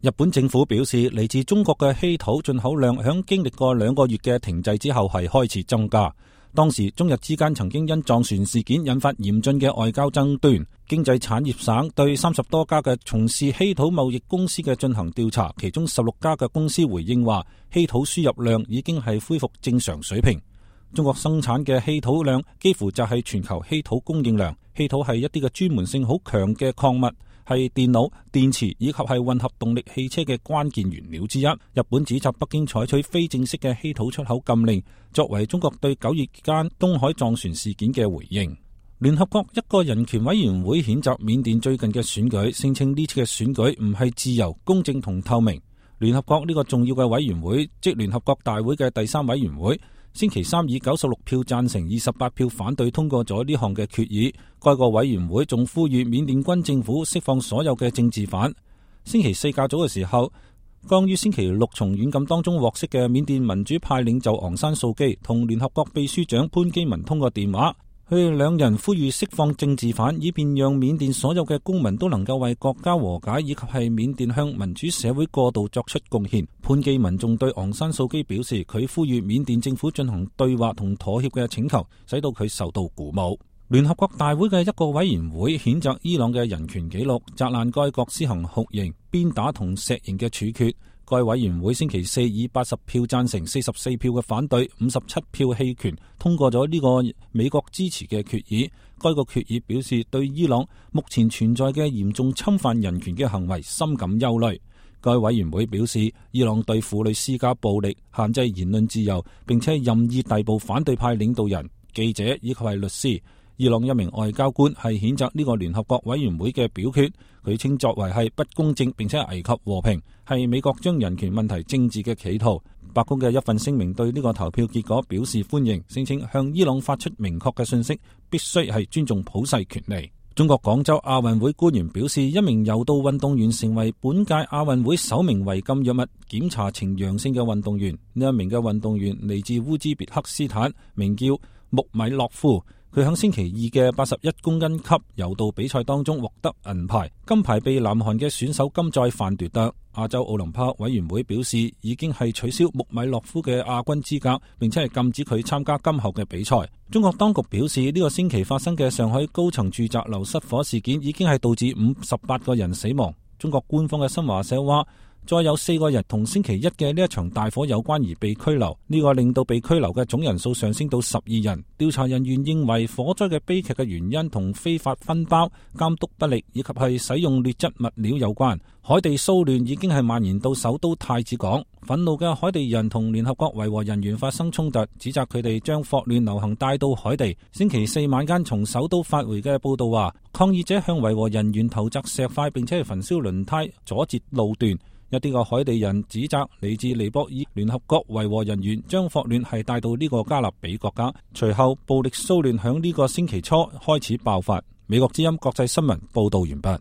日本政府表示，嚟自中國嘅稀土進口量響經歷過2個月嘅停滯之後係開始增加。當時中日之間曾經因撞船事件引發嚴峻嘅外交爭端。經濟產業省對30多家嘅從事稀土貿易公司嘅進行調查，其中16家嘅公司回應話，稀土輸入量已經係恢復正常水平。中國生產嘅稀土量幾乎就係全球稀土供應量。稀土係一啲嘅專門性好強嘅礦物，係電腦、電池以及係混合動力汽車嘅關鍵原料之一。日本指責北京採取非正式嘅稀土出口禁令，作為中國對9月間東海撞船事件嘅回應。聯合國一個人權委員會譴責緬甸最近嘅選舉，聲稱呢次嘅選舉唔係自由、公正同透明。聯合國呢個重要嘅委員會，即聯合國大會嘅第3委員會，星期三以96票贊成、28票反對通過咗呢項嘅決議。該個委員會仲呼籲緬甸軍政府釋放所有嘅政治犯。星期四較早嘅時候，剛於星期六從軟禁當中獲釋嘅緬甸民主派領袖昂山素基同聯合國秘書長潘基文通過電話。佢哋兩人呼籲釋放政治犯，以便讓緬甸所有嘅公民都能夠為國家和解以及係緬甸向民主社會過渡作出貢獻。潘基文仲對昂山素基表示，佢呼籲緬甸政府進行對話同妥協嘅請求，使到佢受到鼓舞。聯合國大會嘅一個委員會譴責伊朗嘅人權紀錄，責難該國施行酷刑、鞭打同石刑嘅處決。該委員會星期四以80票贊成、44票嘅反對、57票棄權通過咗呢個美國支持嘅決議。該個決議表示對伊朗目前存在嘅嚴重侵犯人權嘅行為深感憂慮。該委員會表示，伊朗對婦女施加暴力、限制言論自由，並且任意逮捕反對派領導人、記者以及係律師。伊朗一名外交官係譴責呢個聯合國委員會嘅表決，佢稱作為係不公正並且危及和平，係美國將人權問題政治嘅企圖。白宮嘅一份聲明對呢個投票結果表示歡迎，聲稱向伊朗發出明確嘅信息，必須係尊重普世權利。中國廣州亞運會官員表示，一名柔道運動員成為本屆亞運會首名違禁藥物檢查呈陽性嘅運動員。呢一名嘅運動員嚟自烏茲別克斯坦，名叫穆米洛夫。佢喺星期二嘅81公斤級柔道比賽當中獲得銀牌，金牌被南韓嘅選手金載範奪得。亞洲奧林匹克委員會表示，已經係取消穆米洛夫嘅亞軍資格，並且係禁止佢參加今後嘅比賽。中國當局表示，呢個星期發生嘅上海高層住宅樓失火事件已經係導致58個人死亡。中國官方嘅新華社話，再有4個人同星期一嘅呢一場大火有關而被拘留，呢個令到被拘留嘅總人數上升到12人。調查人員認為火災嘅悲劇嘅原因同非法分包、監督不力以及係使用劣質物料有關。海地騷亂已經係蔓延到首都太子港，憤怒嘅海地人同聯合國維和人員發生衝突，指責佢哋將霍亂流行帶到海地。星期四晚間從首都發回嘅報道話，抗議者向維和人員投擲石塊，並且係焚燒輪胎，阻截路段。一啲個海地人指責嚟自尼泊爾聯合國維和人員將霍亂係帶到呢個加勒比國家。隨後暴力騷亂響呢個星期初開始爆發。美國之音國際新聞報道完畢。